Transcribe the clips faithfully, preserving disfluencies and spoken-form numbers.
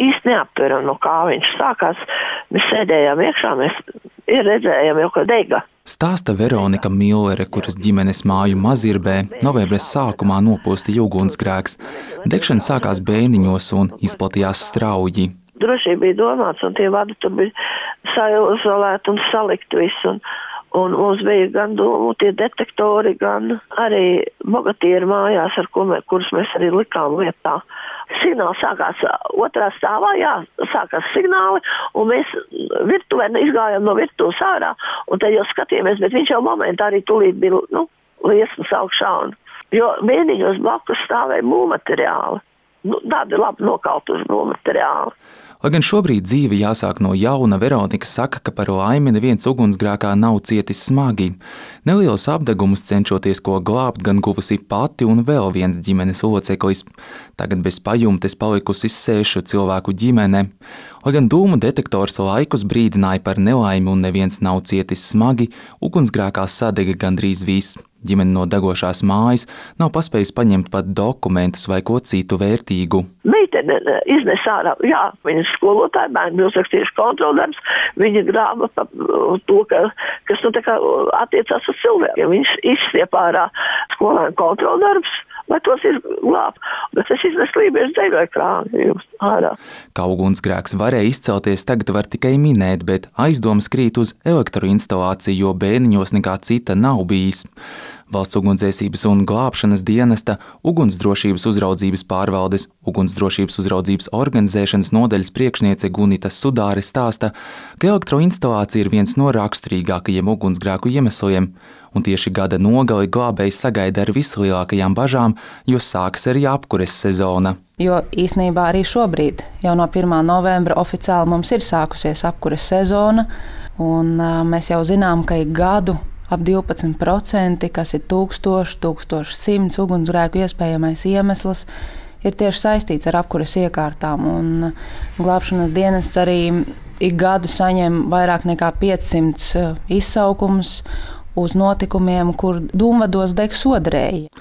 īsti neaptveram, no kā viņš sākās. Mēs sēdējām iekšā, mēs redzējām jau, ka dega. Stāsta Veronika Millere, kuras ģimenes māju Mazirbē novembra sākumā nopostīja ugunsgrēks. Degšana sākās bēniņos un izplatījās strauji. Drošība bija domāts, un tie vadi tur bija saizolēti un salikt visu. Un, un mums bija gan dūmu tie detektori, gan arī bogatieri mājās, ar ko mēs, kurus mēs arī likām lietā. Signāls sākās otrā stāvā, jā, sākās signāli, un mēs virtuvē izgājām no virtuves ārā, un tad jau skatījāmies, bet viņš jau momentā arī tūlīt bija, nu, liesmas augšā, un, jo mēniņos blakus stāvēja būvmateriāli. Nu, tādi labi nokautuši būvmateriāli. Lai gan šobrīd dzīve jāsāk no jauna, Veronika saka, ka par laimi neviens ugunsgrēkā nav cietis smagi. Nelielus apdegumus cenšoties ko glābt gan guvusi pati un vēl viens ģimenes loceklis. Tagad bez pajumtes palikusi sešu cilvēku ģimene. Lai gan dūmu detektors laikus brīdināja par nelaimi un neviens nav cietis smagi, ugunsgrēkā sadega gandrīz viss. Ģimene no degošās mājas nav paspējusi paņemt pat dokumentus vai ko citu vērtīgu. Meitene iznes ārā, jā, viņas skolotāja, bērni bija uzrakstījuši kontroldarbs, viņa grāba pa to, ka, kas nu tā kā attiecās uz cilvēkiem. Viņš izstiep ārā skolēnu kontroldarbs, lai tos izglāb, bet es iznesu lībiešu dzēļoju krāni ārā. Kā ugunsgrēks varēja izcelties, tagad var tikai minēt, bet aizdomas krīt uz elektroinstalāciju, jo bēniņos nekā cita nav bijis. Valsts ugunsdzēsības un glābšanas dienesta, ugunsdrošības uzraudzības pārvaldes, ugunsdrošības uzraudzības organizēšanas nodaļas priekšniece Gunita Sudāre stāsta, ka elektroinstalācija ir viens no raksturīgākajiem ugunsgrēku iemesliem, un tieši gada nogali glābējs sagaida ar vislielākajām bažām, jo sākas arī apkures sezona. Jo īsnībā arī šobrīd, jau no pirmā novembra oficiāli mums ir sākusies apkures sezona, un mēs jau zinām, ka ik gadu ap divpadsmit procenti, kas ir tūkstoši, tūkstoši simts ugunsgrēku iespējamais iemesls, ir tieši saistīts ar apkuras iekārtām. Un glābšanas dienests arī ik gadu saņem vairāk nekā piecsimt izsaukumus uz notikumiem, kur dūmvados deg sodrēji.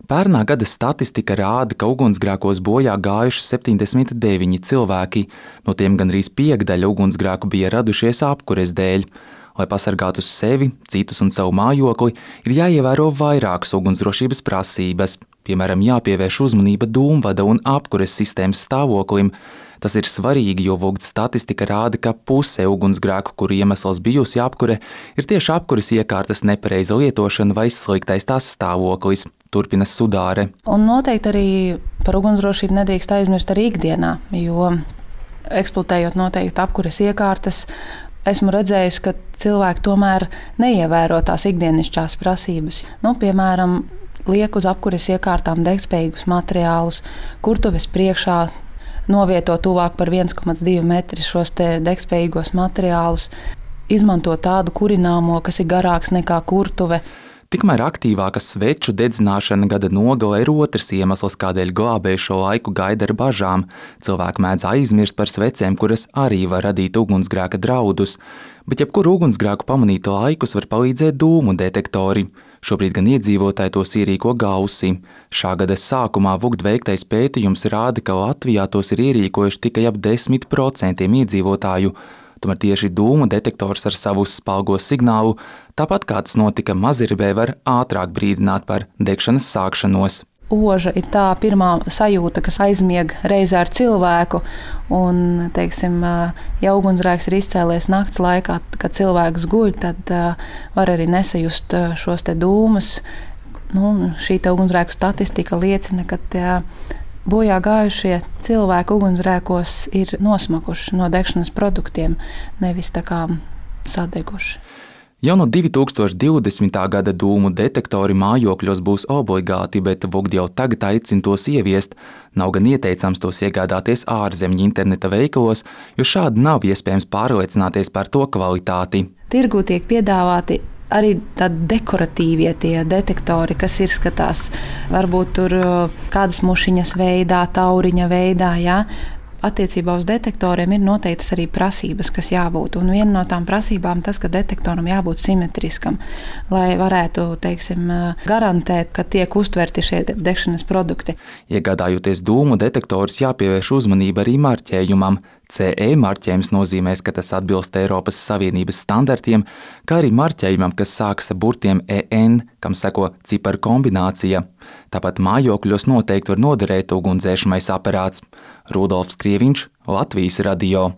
Pērnā gada statistika rāda, ka ugunsgrēkos bojā gājuši septiņdesmit deviņi cilvēki, no tiem gandrīz piekdaļa ugunsgrēku bija radušies apkures dēļ. Lai pasargātu sevi, citus un savu mājokli, ir jāievēro vairākas ugunsdrošības prasības. Piemēram, jāpievērš uzmanība dūmvada un apkures sistēmas stāvoklim. Tas ir svarīgi, jo Vogd statistika rāda, ka puse ugunsgrēku, kuru iemesls bijusi apkure, ir tieši apkures iekārtas nepareiza lietošana vai sliktais tās stāvoklis, turpina Sudāre. Un noteikti arī par ugunsdrošību nedrīkst aizmirst arī ikdienā, jo eksploatējot noteikti apkures iekārtas, esmu redzējis, ka cilvēki tomēr neievēro tās ikdienišķās prasības. Nu, piemēram, liek uz apkures iekārtām degspējīgus materiālus, kurtuves priekšā novieto tuvāk par viens komats divi metri šos te degspējīgos materiālus, izmanto tādu kurināmo, kas ir garāks nekā kurtuve. Tikmēr aktīvāka sveču dedzināšana gada nogalē ir otrs iemesls, kādēļ glābēji šo laiku gaida ar bažām. Cilvēki mēdz aizmirst par svecēm, kuras arī var radīt ugunsgrēka draudus. Bet jebkuru ugunsgrēku pamanīt laikus var palīdzēt dūmu detektori. Šobrīd gan iedzīvotāji tos ierīko gausi. Šā gada sākumā Vogd veiktais pētījums rāda, ka Latvijā tos ir ierīkojuši tikai ap desmit procentiem iedzīvotāju. Tomēr tieši dūmu detektors ar savu spalgo signālu, tāpat kā tas notika Mazirbē, var ātrāk brīdināt par degšanas sākšanos. Oža ir tā pirmā sajūta, kas aizmieg reizē ar cilvēku, un, teiksim, ja ugunsgrēks ir izcēlies nakts laikā, kad cilvēks guļ, tad var arī nesajust šos te dūmus. Nu, šī te ugunsgrēku statistika liecina, ka tie bojā gājušie cilvēki ugunsgrēkos ir nosmakuši no degšanas produktiem, nevis tā kā sadeguši. Jau no divi tūkstoši divdesmitā gada dūmu detektori mājokļos būs obligāti, bet Vogd jau tagad aicina tos ieviest. Nav gan ieteicams tos iegādāties ārzemju interneta veikalos, jo šādi nav iespējams pārliecināties par to kvalitāti. Tirgū tiek piedāvāti arī tādi dekoratīvie tie detektori, kas ir skatās varbūt tur kādas mušiņas veidā, tauriņa veidā, jā. attiecībā uz detektoriem ir noteiktas arī prasības, kas jābūt. Un viena no tām prasībām tas, ka detektoram jābūt simetriskam, lai varētu, teiksim, garantēt, ka tiek uztverti šie degšanas produkti. Iegādājoties dūmu detektorus, jāpievērš uzmanība arī marķējumam. C E marķējums nozīmēs, ka tas atbilst Eiropas Savienības standartiem, kā arī marķējumam, kas sākas ar burtiem E N, kam seko ciparu kombinācija. Tāpat mājokļos noteikti var noderēt ugunsdzēsmais aparāts. Rudolfs Krieviņš, Latvijas radio.